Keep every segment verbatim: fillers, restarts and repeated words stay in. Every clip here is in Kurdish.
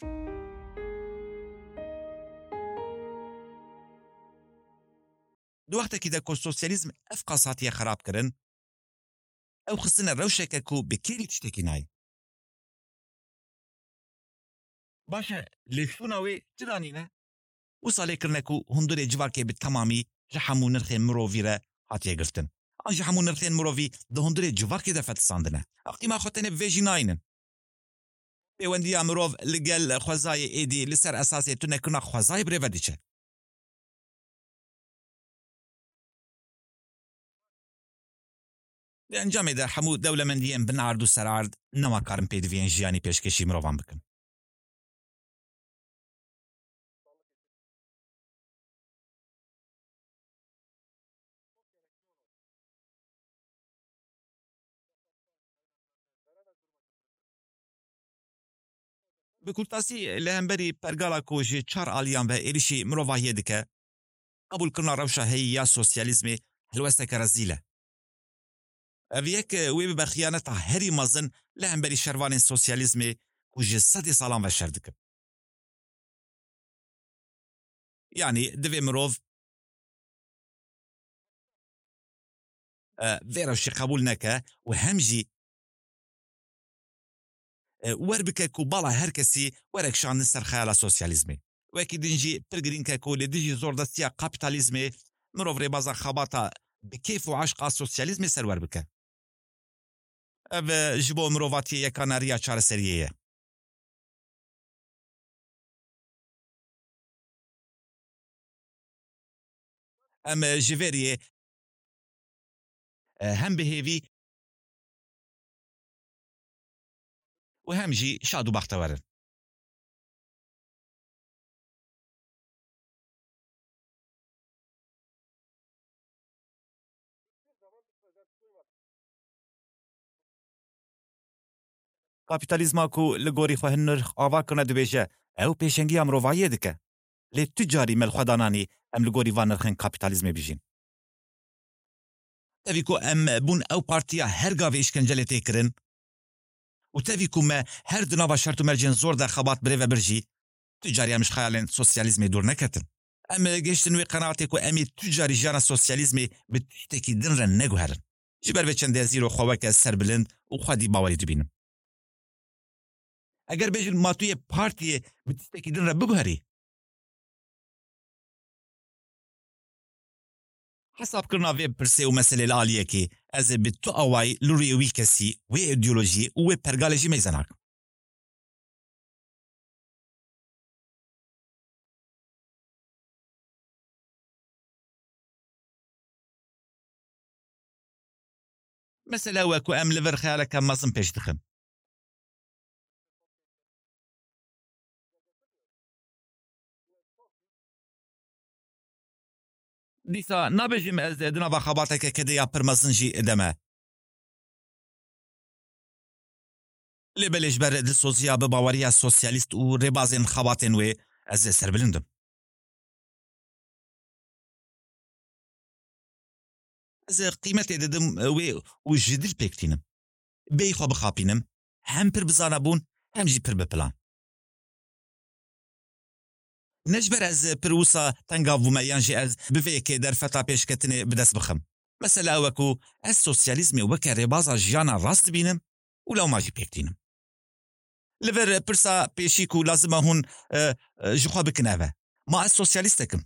Di wextekî de ku sosyalîzm ev qas hatiye xerabkirin, ew xistine rewşeke ku bi kêrî tiştekî nayê. Baş e, lêşûna wê çi danîne? Wisa lê kirine ku hundirê civakê bi temamî ji hemû nirxên mirovî re hatiye girtin. An ji hemû nirxên mirovî di hundirê civakê de fetisandine. Ew qîma xwe tenê bi vê jî nayînin. Pêwendiya mirov li gel xwezayê êdî li ser esasê tunekirina xwezayê bi rê ve diçe. Di encamê de hemû dewlemendiyên binard û serard nema karin pêdiviyên jiyanî pêşkêşî mirovan bikin. Bi kurtasî, li hemberî pergala ku ji çar aliyan ve êrişî mirovahiyê dike, qebûlkirina rewşa heyî ya sosyalîzmê helwesteke rezîl e. Ev yek wê bibe xiyaneta herî mezin li hemberî şervanên sosyalîzmê ku ji sedê salan ve şer dikin. Yanî divê mirov, e, vê rewşê qebûl neke û hem jî, e, wer bike ku bala her kesî were kişandin ser xeyala sosyalîzmê. Wekî din jî pir girîng e ku li dijî zordestiya kapîtalîzmê mirov rêbaza xebata bi keyf û eşqa sosyalîzmê serwer bike. Ev, e, ji bo mirovatiyê yekane riya çareseriyê ye. Em, e, ji vê riyê, e, hem bi hêvî û hem jî şad û bextewer in. Kapîtalîzma ku li gorî xwe hin nirx ava kirine dibêje, ew pêşengiya mirovahiyê dike. Lê tu carî me li xwe da nanî em li gorî van nirxên kapîtalîzmê bijîn. Tevî ku em bûn ew partiya her gavê îşkencelê tê kirin û tevî ku me her di nava şert û mercên zor de xebat bi rê ve bir jî, tu carî em ji xeyalên sosyalîzmê dûr neketin. Em gihiştin wê qenaetê ku em ê tu carî jiyana sosyalîzmê bi tiştekî din re neguherin. Ji ber vê çendê ez îro xwe weke serbilind û xwedî bawerî dibînim. Eger bêjin ma tu yê partiyê bi tiştekî din re biguherî, hesabkirina vê pirsê û meselê li aliyekê, ez ê bi tu awayî li rûyê wî kesî, wê îdeolojiyê û wê pergalê jî meyze nakim. Mesele ew e ku em li vir xeyaleke mezin pêş dixin. Dîsa nabêjim ez di nava xebateke kedê ya pir mezin jî de me. Lê belê ji ber dilsoziya bi baweriya sosyalîst û rêbazên xebatên wê ez ê serbilind im. Ez ê qîmetê didim wê û ji dil pêk tînim. Bêyî xwe bixapînim, hem pir bi zana bûn, hem jî pir bi plan. Ne ji ber ez pir wisa tengav bûme yan jî ez bi vê yekê derfeta pêşketinê bi dest bixim. Mesele ew e ku ez sosyalîzmê weke rêbaza jiyana rast dibînim û lewma jî pêk tînim. Li vir pirsa pêşî ku lazim e hûn, e, e, ji xwe bikin ev e. Ma ez sosyalîstek im.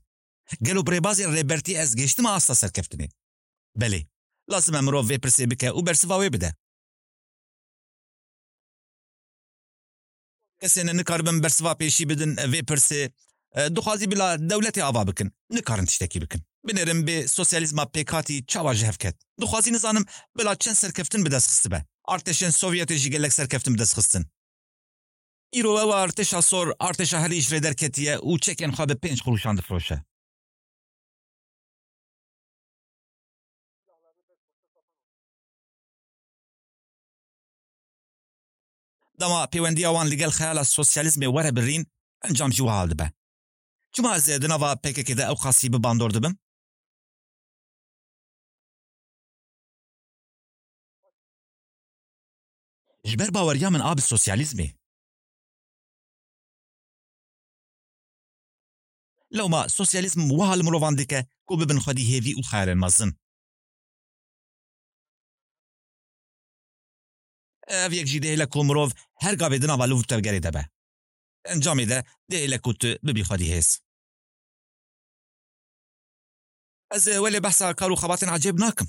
Gelo bi rêbazên rêbertî ez gihiştime asta serkeftinê? Belê. Lazim e mirov vê pirsê bike û bersiva wê bide. Kesên nikaribin bersiva pêşî bidin vê pirsê, e, dixwazî bila dewletê ava bikin. Nikarin tiştekî bikin. Binêrin bê sosyalîzma pêkhatî çawa ji hev ket. Dixwazî nizanim bila çend serkeftin bi dest xistibe. Artêşên Sovyetê jî gelek serkeftin bi dest xistin. Îro ew artêşa sor, artêşa herî ji rê derketiye û çekên xwe bi pênc qurûşan difiroşe. Dema pêwendiya wan li gel xeyala sosyalîzmê were birîn, encam jî wiha dibe. Çima ez ê di nava P K K de ew qasî bi bandor dibim? Ji ber baweriya min a bi sosyalîzmê. Lewma sosyalîzm wiha li mirovan dike ku bibin xwedî hêvî û xeyalên mezin. Ev yek jî dihêle ku mirov her gavê di nava liv û tevgerê de be. Encamê de dihêle ku tu bibî xwedî hêz. Ez welê behsa kar û xebatên ecêb nakim.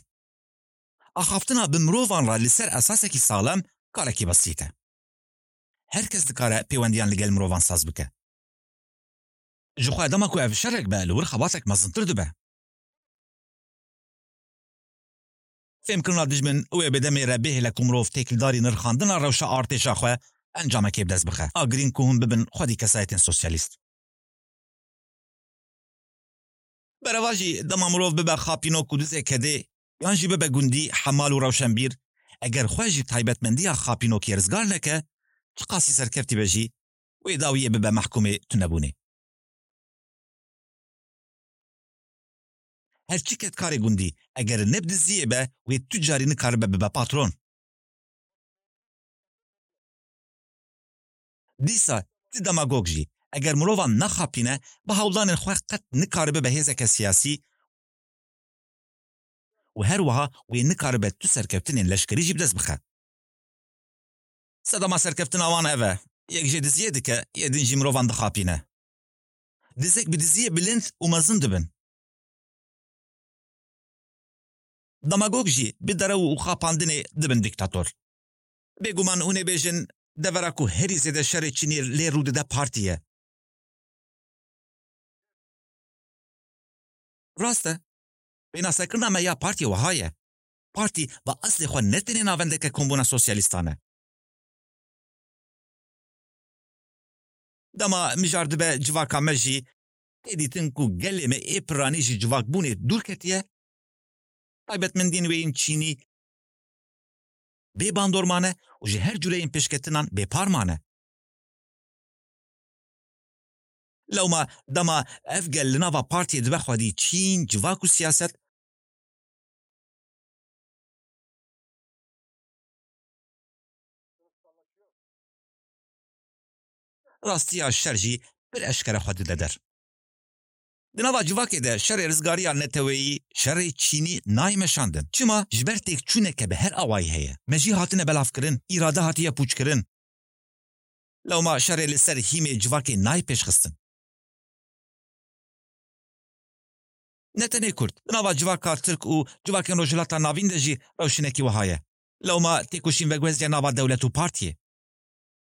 Axaftina bi mirovan re li ser esasekî saxlem karekî besît e. Her kes dikare pêwendiyan li gel mirovan saz bike. Ji xwe dema ku ev şerek be, li wir xebatek mezintir dibe. Fêmkirina dijmin wê bi demê re bihêle ku mirov têkildarî nirxandina rewşa artêşa xwe encamekê bi dest bixe. A girîng ku hûn bibin xwedî kesayetên sosyalîst. Bereva jî dema mirov bibe xapînok û dizê kedê, yan jî bibe gundî, hemal û rewşenbîr, eger xwe ji taybetmendiya xapînokê rizgar neke, çiqasî serkeftî be jî, wê dawiyê bibe mehkûmê tunebûnê. Her çi kedkarê gundî, eger ne bi diziyê be, wê tu carî nikaribe bibe patron. Dîsa ti demagog jî, eger mirovan naxapîne, bi hewldanên xwe qet nikaribe be hêzeke siyasî û her wiha wê nikaribe tu serkeftinên leşkerî jî bi dest bixe. Sedema serkeftina wan ev e, yek jê diziyê dike, yê din jî mirovan dixapîne. Dizek bi diziyê bilind û mezin dibin. Demagog jî bi derew û xapandinê dibin dîktator. Bêguman hûn ê bêjin, devera ku herî zêde şerê çînî lê rû dide partî ye. Rast e. Pênasekirina me ya partiyê wiha ye. Partî bi eslê xwe ne tenê navendeke kombûna sosyalîstan e. Dema mijar dibe civaka me jî, tê dîtin ku gelê me ê piranî ji civakbûnê dûr ketiye, taybetmendiyên wê yên çînî bê bandorman e û ji her cûreyên pêşketinan bêparman e. Lewma dema ev gel li nava partiyê dibe xwedî çîn, civak û siyaset, rastiya şer jî pir eşkere xwe dide der. Di nava civakê de şerê rizgariya neteweyî, şerê çînî nayê meşandin. Çima? Ji ber têkçûneke bi her awayî heye. Me jî hatine belavkirin, îrade hatiye pûçkirin. Lewma şerê li ser hîmê civakê nayê pêşxistin. Ne tenê Kurd, di nava civaka Tirk û civakên Rojhilata Navîn de jî rewşinekî wiha ye. Lewma têkoşîn veguhezdiye nava dewlet û partiyê.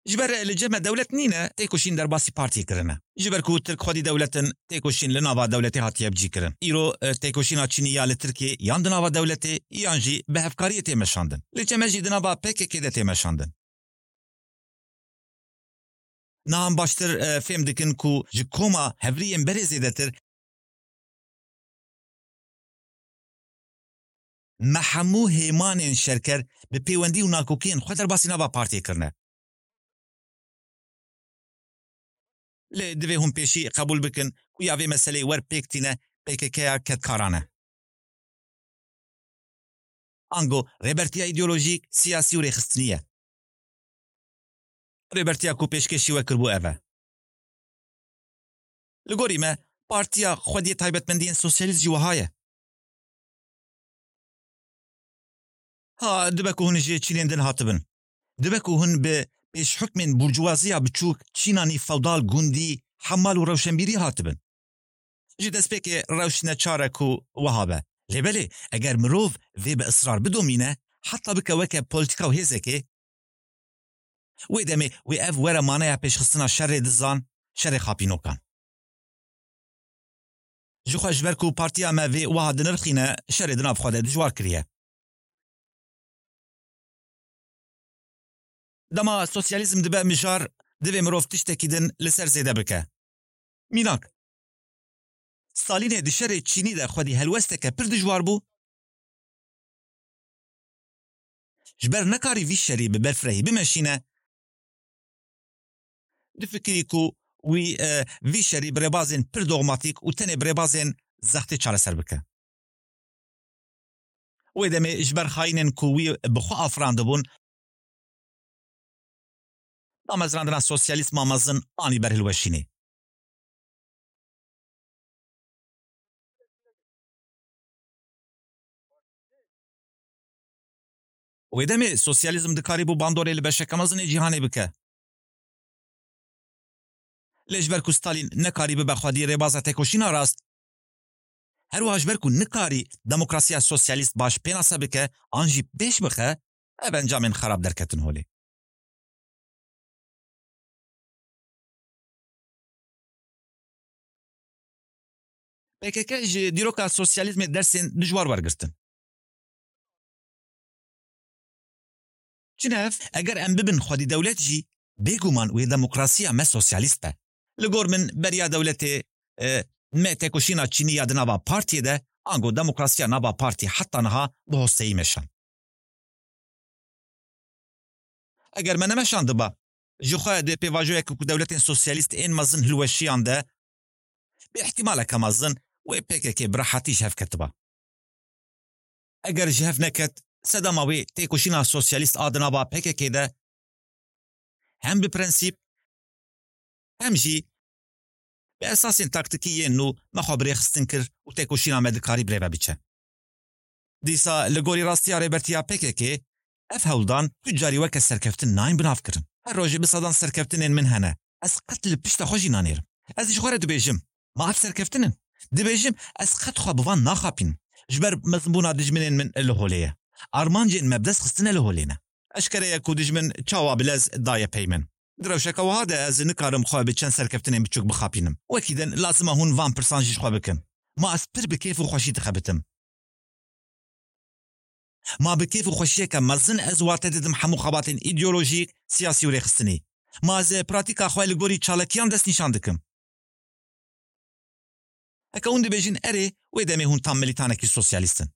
Ji ber li cem me dewlet nîne, têkoşîn derbasî partiyê kirine. Ji ber ku Tirk xwedî dewlet in, têkoşîn li nava dewletê hatiye bicîkirin. Îro, e, têkoşîna çînî ya li Tirkiyê yan di nava dewletê, yan jî bi hevkariyê tê meşandin. Li cem me jî di nava P K K de tê meşandin. Niha em baştir, e, fêm dikin ku ji koma hevriyên berê zêdetir me hemû hêmanên şerker bi pêwendî û nakokiyên xwe derbasî nava partiyê kirine. Lê divê hûn pêşî qebûl bikin ku ya vê meseleyê wer pêk tîne P K K ya kedkaran e. Ango rêbertiya îdeolojîk, siyasî û rêxistinî ye. Rêbertiya ku pêşkêşî we kiribû ev e. Li gorî me, partiya xwediyê taybetmendiyên sosyalîst jî wiha ye. Ha, dibe ku hûn ji çînên din hatibin. Dibe ku hûn bi pêşhukmên burjuwaziya biçûk, çîna nîv fewdal, gundî, hemal û rewşenbîrî hatibin. Ji destpêkê rewş neçar e ku wiha be. Lê belê, eger mirov vê bi israr bidomîne, heta bike weke polîtîka û hêzekê, wê demê wê ev were maneya pêşxistina şerê dizan, şerê xapînokan. Ji xwe ji ber ku partiya me vê wiha dinirxîne, şerê di nav xwe de dijwar kiriye. Dema sosyalîzm dibe mijar, divê mirov tiştekî din li ser zêde bike. Mînak, Stalînê di şerê çînî de xwedî helwesteke pir dijwar bû. Ji ber nekarî vî şerî bi berfirehî bimeşîne, difikirî ku wî, e, vî şerî bi rêbazên pir dogmatîk û tenê bi rêbazên zextê çareser bike. Wê demê ji ber xayînên ku wî bi xwe afirandibûn, damezrandina sosyalîzma mezin anî ber hilweşînê. Wê demê sosyalîzm dikarîbû bandorê li beşeke mezin ê cîhanê bike. Lê ji ber ku Stalîn nekarî bibe xwedî rêbaza têkoşîna rast, her wiha ji ber ku nikarî demokrasiya sosyalîst baş pênase bike an jî pêş bixe, ev encamên xerab derketin holê. P K K ji dîroka sosyalîzmê dersên dijwar wergirtin. Çi ne ev? Eger em bibin xwedî dewlet jî, bêguman wê demokrasiya me sosyalîst be. Li gor min beriya dewletê, e, me têkoşîna çînî ya di nava partiyê de, ango demokrasiya nava partiyê heta niha bi hosteyî meşand. Eger me nemeşandiba, ji xwe di pêvajoyeke ku dewletên sosyalîst ên mezin hilweşiyande, bi îhtimaleke mezin wê P K K bi rehetî ji hev ketiba. Eger ji hev neket, sedema wê têkoşîna sosyalîst a di nava P K K de hem bi prensîp, hem jî bi esasên taktikî yên nû me xwe bi rêxistin kir û têkoşîna me dikarî bi rê ve biçe. Dîsa li gorî rastiya rêbertiya P K K, ev hewldan tu carî weke serkeftin nayên binavkirin. Her rojê bi sedan serkeftinên min hene. Ez qet li pişta xwe jî nanêrim. Ez ji xwe re dibêjim, ma ev serkeftin in? Dibêjim, ez qet xwe bi van naxapînim. Ji ber mezinbûna dijminên min li holê ye. Armancên me bi dest xistine li holê ne. Eşkere ye ku dijmin çawa bi lez daye pey min. Di rewşeke wiha de ez nikarim xwe bi çend serkeftinên biçûk bixapînim. Wekî din lazim e hûn van pirsan jî ji xwe bikin. Ma ez pir bi kêf û xweşî dixebitim? Ma bi kêf û xweşiyeke mezin ez wate didim hemû xebatên îdeolojîk, siyasî û rêxistinî? Ma ez pratîka xwe li gorî çalakiyan destnîşan dikim? Heke hûn dibêjin erê, wê demê hûn tam milîtanekî sosyalîst in.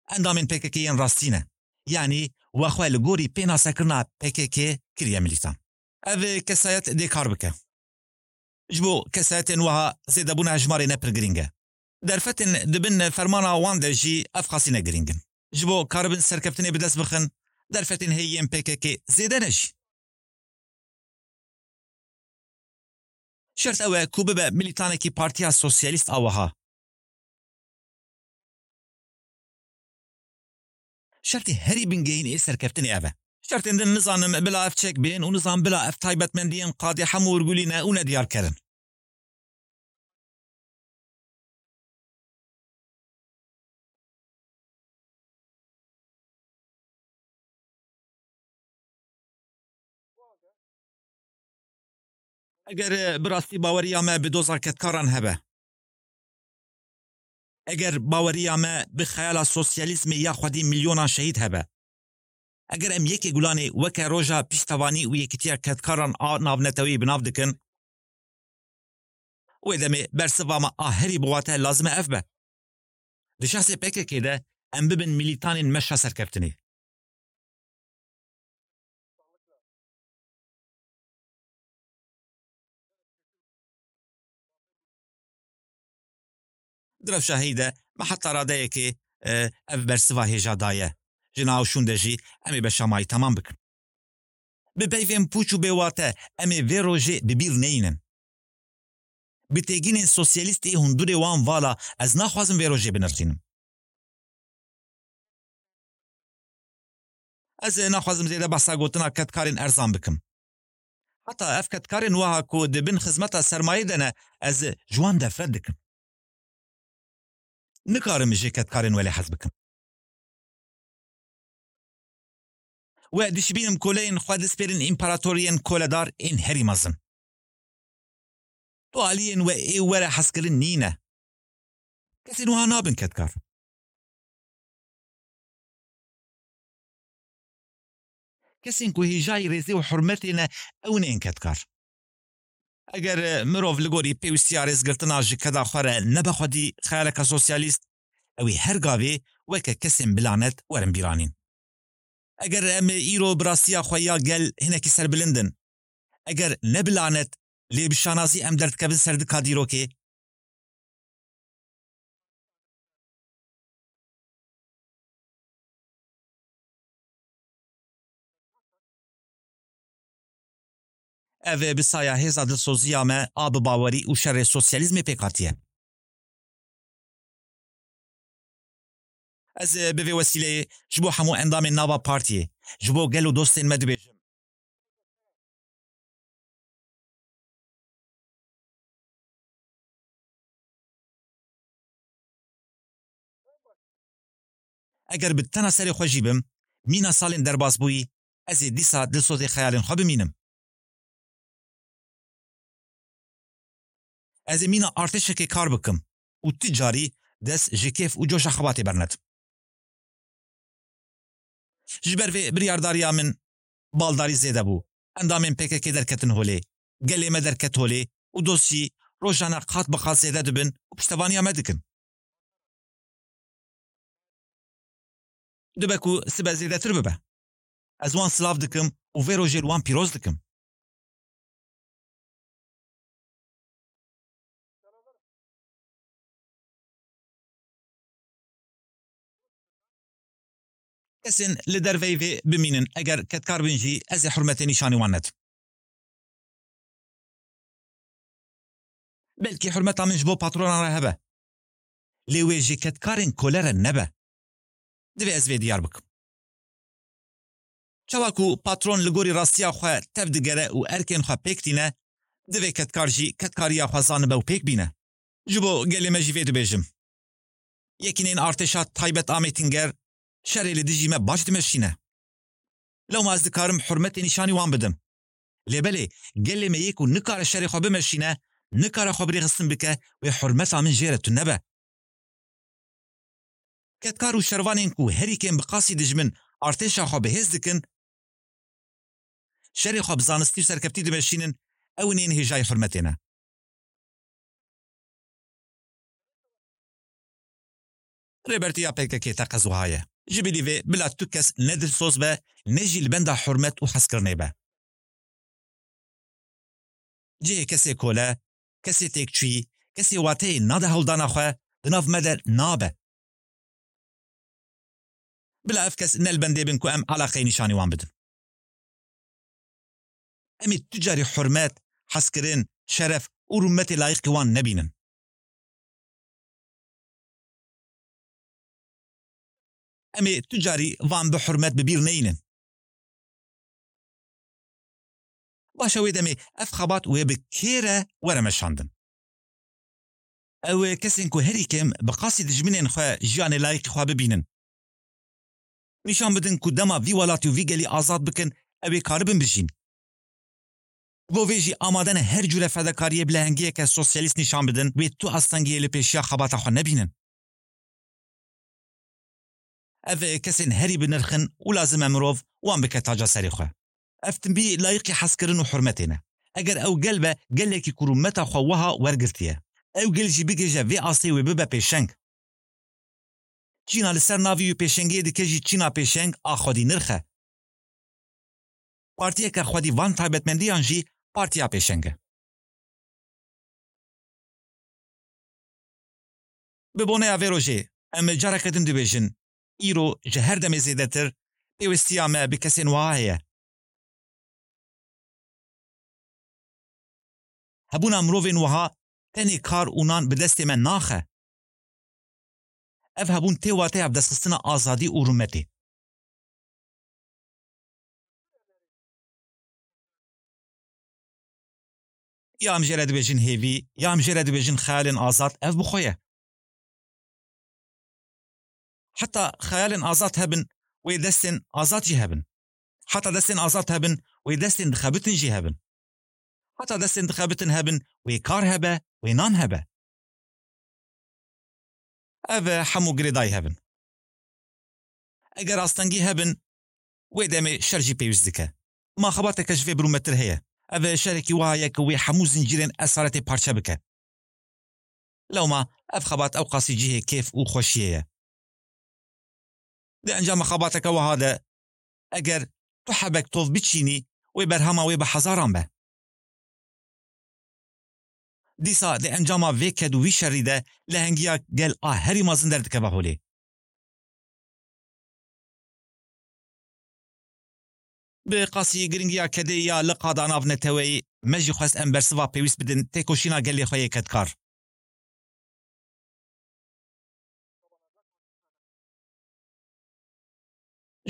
Endamên P K K yên rastî ne. Yanî we xwe li gorî pênasekirina P K K kiriye milîtan. Ev kesayet dê kar bike. Ji bo kesayetên wiha zêdebûna hejmarê ne pir girîng e. Derfetên di bin fermana wan de jî ev qasî ne girîng in. Ji bo karibin serkeftinê bi dest bixin, derfetên heyî yên P K K zêde ne jî. Şert ew e ku bibe milîtanekî Partiya Sosyalîst a wiha. Şertê herî bingehîn ê serkeftinê ev e. Şertên din nizanim bila ev çek bên û nizam bila ev taybetmendiyên qadê hemû wirgulî ne û nediyarker in. Eger, e, bi rastî baweriya me bi doza kedkaran hebe, eger baweriya me bi xeyala sosyalîzmê ya xwedî milyonan şehîd hebe, eger em yekê gulanê weke roja piştevanî û yekîtiya kedkaran a navneteweyî bi nav dikin, wê demê bersiva me a herî bi wate lazim e ev be. Di şexsê P K K de em bibin milîtanên meşa serkeftinê. Di rewşa heyî de me heta radeyekê, e, ev bersiva hêja daye. Ji nav şûn de jî em ê beşa mayî temam bikin. Bi peyvên pûç û bêwate em ê vê rojê bi bîr neyînin. Bi têgînên sosyalîst ê hundurê wan vala ez naxwazim vê rojê binirxînim. Ez ê naxwazim zêde behsa gotina kedkarên erzan bikim. Heta ev kedkarên wiha ku di bin xizmeta sermayê de ne, ez ji wan nefret dikim. Nikarim ji kedkarên welê hez bikim. We dişibînim koleyên xwe dispêrin împaratoriyên koledar ên herî mezin. Tu aliyên we ê were hezkirin nîne. Kesên wiha nabin kedkar. Kesên ku hêjayî rêzê û hurmetê ne, ew ên kedkar. Eger, e, mirov li gorî pêwîstiya rêzgirtina ji keda xwe re nebe xwedî xeyaleke sosyalîst, ew ê her gavê weke kesên bilanet werin bîranîn. Eger em îro bi rastiya xwe ya gel hinekî serbilind in, eger ne bi lanet, lê bi şanazî em derdikevin ser dika dîrokê, ev bi saya hêza dilsoziya me a bi bawerî û şerê sosyalîzmê pêk hatiye. Ez, e, bi vê wesîleyê ji bo hemû endamên nava partiyê, ji bo gel û dostên me dibêjim. Eger bi tena serê xwe jî bim, mîna salên derbasbûyî, ez ê dîsa dilsozê xeyalên xwe bimînim. Ez ê mîna artêşekê kar bikim û tu carî dest ji kêf û coşa xebatê bernedim. Ji ber vê biryardariya min baldarî zêde bû. Endamên P K K derketin holê. Gelê me derket holê û dost jî rojane qat bi qat zêde dibin û piştevaniya me dikin. Dibe ku sibe zêdetir bibe. Ez wan silav dikim û vê rojê li wan pîroz dikim. Kesên li derveyî vê bimînin, eger kedkar bin jî, ez ê hurmetê nîşanî wan nedim. Belkî hurmeta min ji bo patronan re hebe. Lê wê ji kedkarên kole re nebe. Divê ez vê diyar bikim. Çawa ku patron li gorî rastiya xwe tev digere û erkên xwe pêk tîne, divê kedkar jî kedkariya xwe zanibe û pêk bîne. Ji bo gelê me jî vê dibêjim. Yekîneyên artêşa taybet a Mêtinger şerê li dijî me baş dimeşîne. Lewma ez dikarim hurmetê nîşanî wan bidim. Lê belê, gelê me yê ku nikare şerê xwe bimeşîne, nikare xwe birêxistin bike, wê hurmeta min jê re tune be. Kedkar û şervanên ku herî kêm bi qasî dijmin artêşa xwe bi hêz dikin, şerê xwe bi zanistî û serkeftî dimeşînin, ew ên hêjayî hurmetê ne. Rêbertiya P K K teqez wiha ye. Ji bilî vê bila tu kes ne dilsoz be, ne jî li benda hurmet û hezkirinê be. Cihê kesê kole, kesê têkçûyî, kesê wateyê nade hewldana xwe, di nav me de nabe. Bila ev kes ne li bendê bin ku em eleqeyê nîşanî wan bidin. Em ê tu carî hurmet, hezkirin, şeref û rûmetê layiqî wan nebînin. Em ê tu carî van bi hurmet bi bîr neynin. Baş e, wê demê ev xebat wê bi kê re were meşandin. Ew ê kesên ku herî kêm bi qasî dijminên xwe jiyanê layîqî xwe bibînin. Nîşan bidin ku dema vî welatî û vî gelî azad bikin, ew ê karibin bijîn. Bo vê jî amade ne her cûre fedakariyê bi lehengiyeke sosyalîst nîşan bidin, wê tu astengiyê li pêşiya xebata xwe nebînin. Ev kesên herî bi nirx in û lazim e mirov wan bike taca serê xwe. Ev timbî layiqî hezkirin û hurmetê ne. Eger ew gel be, gelekî ku rûmeta xwe wiha wergirtiye. Ew gel jî bigihêje vê astê, wê bibe pêşeng. Çîna li ser navî wî pêşengiyê dike jî çîna pêşeng a xwedî nirx e. Partiyeke xwedî van taybetmendiyan jî partiya pêşeng e. Bi boneya vê rojê, em careke din dibêjin, îro ji her demê zêdetir pêwîstiya me bi kesên wiha heye. Hebûna mirovên wiha tenê kar û nan bi destê me naxe. Ev hebûn tê wateya bidestxistina azadî û rûmetê. Ya em jê re dibêjin hêvî, ya em jê re dibêjin xeyalên azad, ev bi xwe ye. Heta xeyalên azad hebin, wê destên azad jî hebin. Heta destên azad hebin, wê destên dixebitin jî hebin. Heta destên dixebitin hebin, wê kar hebe, wê nan hebe. Ev hemû girêdayî hebin. Eger astengî hebin, wê demê şer jî pêwîst dike. Ma xebateke ji vê birûmetir heye. Ev şerekî wiha ye ku wê hemû zincîrên esaretê parçe bike. Lewma ev xebat ewqasî cihê kêf û xweşiyê ye. Di encama xebateke wiha de, eger tu hebek tov biçînî, wê berhema wê bi hezaran be. Dîsa di encama vê ked û vî şerî de lehengiya gel a herî mezin derdikeve holê. Bi qasî giringiya kedê ya liqa da nav neteweyî, me jî xwest em bersiva pêwîst bidin têkoşîna gelê xwe yê kedkar.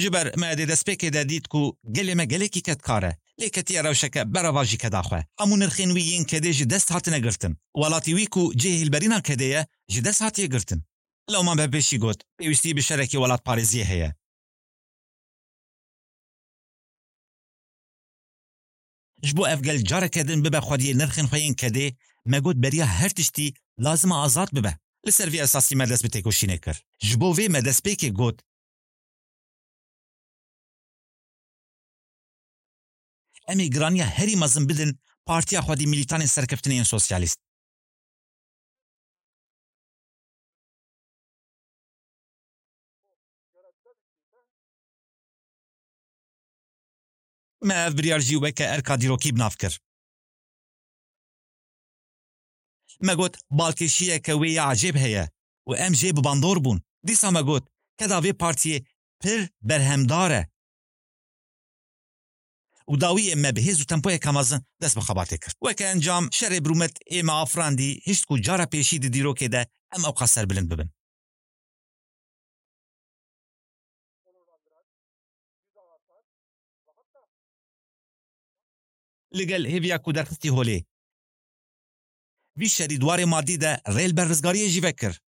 Ji ber me di destpêkê de dît ku gelê me gelekî kedkar e. Lê ketiye rewşeke berevajî keda xwe. Hemû nirxên wî yên kedê ji dest hatine girtin. Welatî wî ku cihê hîlberîna kedê ye, ji dest hatiye girtin. Lewman bi pêşî got, pêwîstî bi şerekî welatparêziyê heye. Ji bo ev gel careke din bibe xwediyê nirxên xwe yên kedê, me got beriya her tiştî lazim e azad bibe. Li ser vê esasî me dest bi têkoşînê kir. Ji bo vê me destpêkê got, em ê giraniya herî mezin bidin partiya xwedî milîtanên serkeftinê yên sosyalîst. Me ev biryar jî weke erka dîrokî bi nav kir. Me got, balkêşiyeke wê ya ecêb heye û em jê bi bandor bûn. Dîsa me got, keda vê partiyê pir berhemdar e. Û dawiyê me bi hêz û tempoyeke mezin dest bi xebatê kir. Weke encam, şerê bi rûmet ê me afirandî, hişt ku cara pêşî di dîrokê de em ewqas serbilind bibin. Li gel hêviya ku derxistî holê, vî şerî di warê madî de rê li ber rizgariyê jî vekir.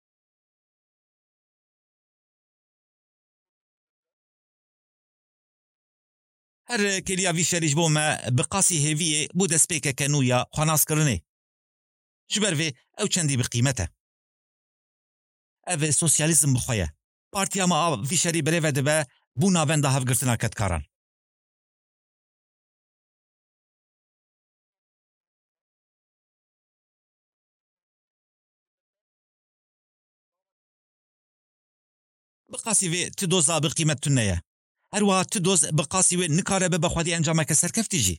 Her kêliya vî şerî ji bo me bi qasî hêviyê bû destpêkeke nû ya xwenaskirinê. Ji ber vê ew çendî bi qîmet e. Ev sosyalîzm bi xwe ye. Partiya me a vî şerî birêve dibe bû navenda hevgirtina kedkaran. Bi qasî vê ti doza bi qîmet tune ye. Her wiha ti doz bi qasî wê nikare bibe xwedî encameke serkeftî jî.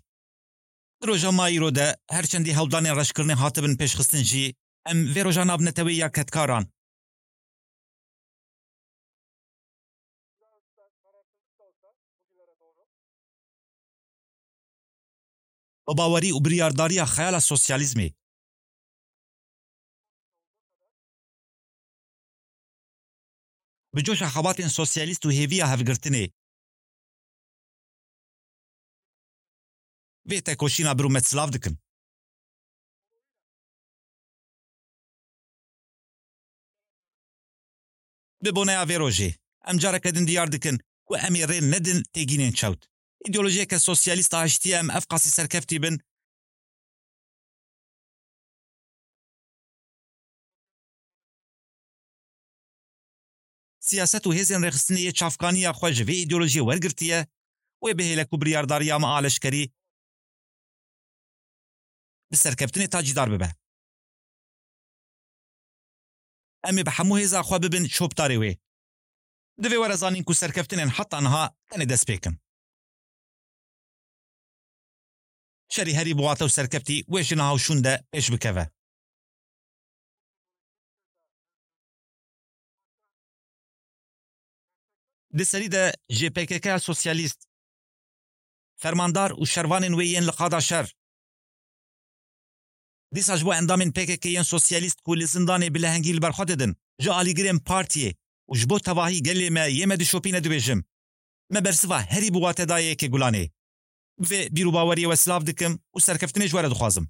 Di roja me îro de her çendî hewldanên reşkirinê hatibin pêşxistin jî, em vê roja navneteweyî ya kedkaran bi bawerî û biryardariya xeyala sosyalîzmê, bi coşa xebatên sosyalîst û hêviya hevgirtinê, vê tekoşîna bi rûmet silav dikin. Bi boneya vê rojê, em careke din diyar dikin ku em ê rê nedin têgînên çewt. Îdeolojiyeke sosyalîst a hiştiyê em ev qasî serkeftî bin, siyaset û hêzên rêxistinê yê çavkaniya xwe ji vê îdeolojiyê wergirtiye, wê bihêle ku biryardariya me a leşkerî bi serkeftinê tacîdar bibe. Em ê bi hemû hêza xwe bibin şopdarê wê. Divê were zanîn ku serkeftinên heta niha tenê destpêk in. Şerî herî bi wate û serkeftî wê ji niha û şûn de pêş bikeve. Di serî de jê P K K ya sosyalîst, fermandar û şervanên wê yên li qada şer, dîsa ji bo endamên P K K yên sosyalîst ku li zindanê bi lehengî li ber xwe didin, ji alîgirên partiyê û ji bo tevahî gelê me yê me dişopîne dibêjim, me bersiva herî bi wate daye yekê Gulanê. Bi vê bîr û baweriyê we silav dikim û serkeftinê ji we re dixwazim.